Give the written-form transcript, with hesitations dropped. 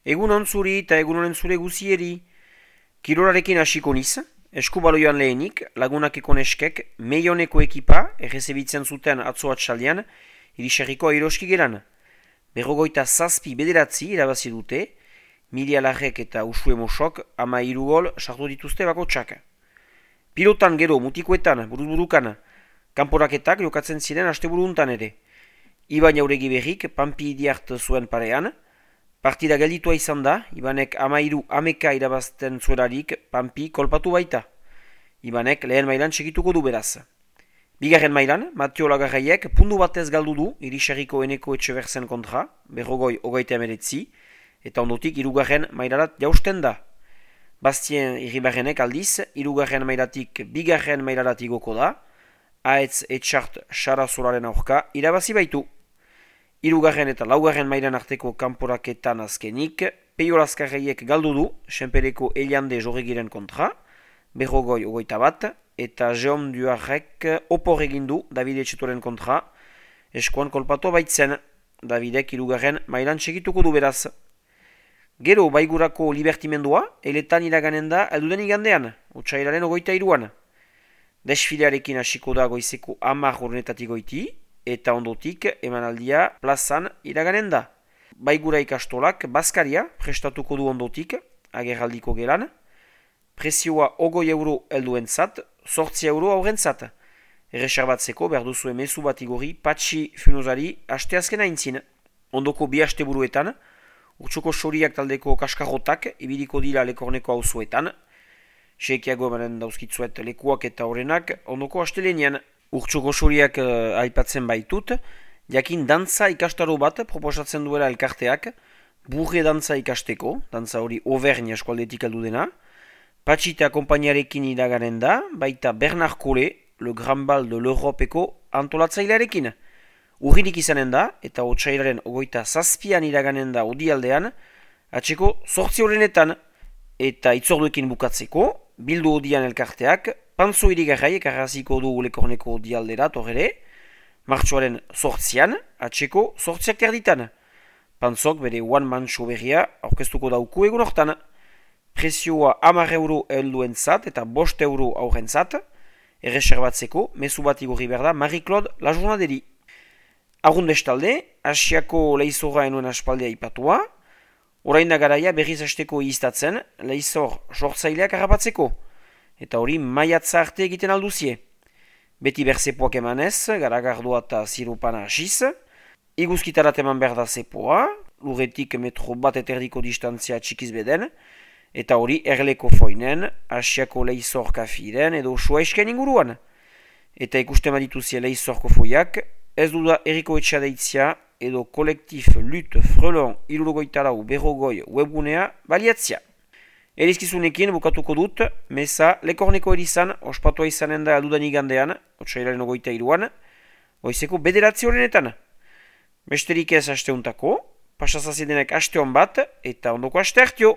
Egun on zuri eta egun honen zure guzieri. Kirolarekin hasiko niz, eskubaloioan lehenik, lagunakeko neskek, meioneko ekipa, errezebitzen zuten atzo atxaldean, iriserriko airoski geran. Berrogoita zazpi bederatzi irabazi dute, Milia Larrek eta Usue Mosok 13 gol sartu dituzte bakotsak. Pilotan gero mutikoetan, buruz-burukan, kanporaketak jokatzen ziren asteburuntan ere. Iban Jauregi berrik, Pampi Idiart zuen parean, partida gelditua izan da, Ibanek 13 irabazten zuelarik Pampi kolpatu baita. Ibanek lehen mailan segituko du beraz. Bigarren mailan, Mateo Lagarraiek pundu batez galdu du Iriserriko Eneko Etxeberzen kontra, 29 eta ondotik hirugarren mailarat jausten da. Bastien Irribarrenek aldiz, hirugarren mailatik bigarren mailarat igoko da, Aetz Etxart Sarazolaren aurka irabazi baitu. Hirugarren eta laugarren mailan arteko kanporaketan azkenik, Peio Lazkarreiek galdu du, Senpereko Eliande Jorregiren kontra, 21, eta Jeom Duarrek opor egin du Davide Etxetoren kontra, eskuan kolpatu baitzen, Davidek hirugarren mailan segituko du beraz. Gero baigurako libertimendua, eletan iraganen da elduden igandean, otsailaren 23an. Desfilearekin hasiko da goizeko 10 hornetatik goiti, eta ondotik emanaldia plazan iraganen da. Baigura ikastolak Baskaria prestatuko du ondotik, agerraldiko gelan, prezioa 20 euro helduentzat, 8 euro aurrentzat. Erreserbatzeko behar duzue mezu bat igorri Patxi Funozari asteazken aintzin. Ondoko bi asteburuetan, Urtsoko Soriak taldeko kaskarrotak ibiliko dira Lekorneko auzoetan. Sekiago emanen dauzkitzuet lekuak eta horrenak ondoko astelenean. Urtsoko Soriak aipatzen baitut, jakin dantza ikastaro bat proposatzen duela elkarteak, burre dantza ikasteko, dantza hori Auvergne eskualdetik heldu dena, Patxita konpainiarekin iraganen da, baita Bernard Collet, le Grand Bal de l'Europeko antolatzailearekin. Urririk izanen da, eta otsailaren 27an iraganen da odialdean, atseko 8 horrenetan, eta itzorduekin bukatzeko, bildu odian elkarteak, Pantzo irigarraiek arraziko du Lekorneko odialdera torrere, martxoaren 8an, atseko 8ak terditan. Pantzok bere one-man show berria aurkeztuko dauku egun hortan. Prezioa 10 euro helduentzat eta 5 euro aurrentzat, erreserbatzeko, mezu bat igorri behar da Marie-Claude Lajournaderi. Arrundestalde, Asiako leizorra enuen aspaldea ipatua, orain da garaia berriz hasteko iztatzen, leizor sortzaileak harrapatzeko, eta hori maiatza arte egiten alduzie. Beti berzepoak emanez, garagardoa eta zirupana hasiz, iguzkitarat eman behar da zepoa, lurretik metro bat eterdiko distantzia txikiz beden, eta hori erleko foinen, Asiako leizor kafiren edo suaisken inguruan. Eta ikusten badituzie leizorko foiak, ez duda Eriko Etxea deitzia edo kolektif Lut Frelon 74 webgunea baliatzia. Erizkizunekin bukatuko dut, meza Lekorneko erizan ospatua izanen da aldudan igandean, otsailaren 23an, goizeko 9 horrenetan. Besterik ez asteuntako, pasazazidenek aste hon bat eta ondoko aste hartio.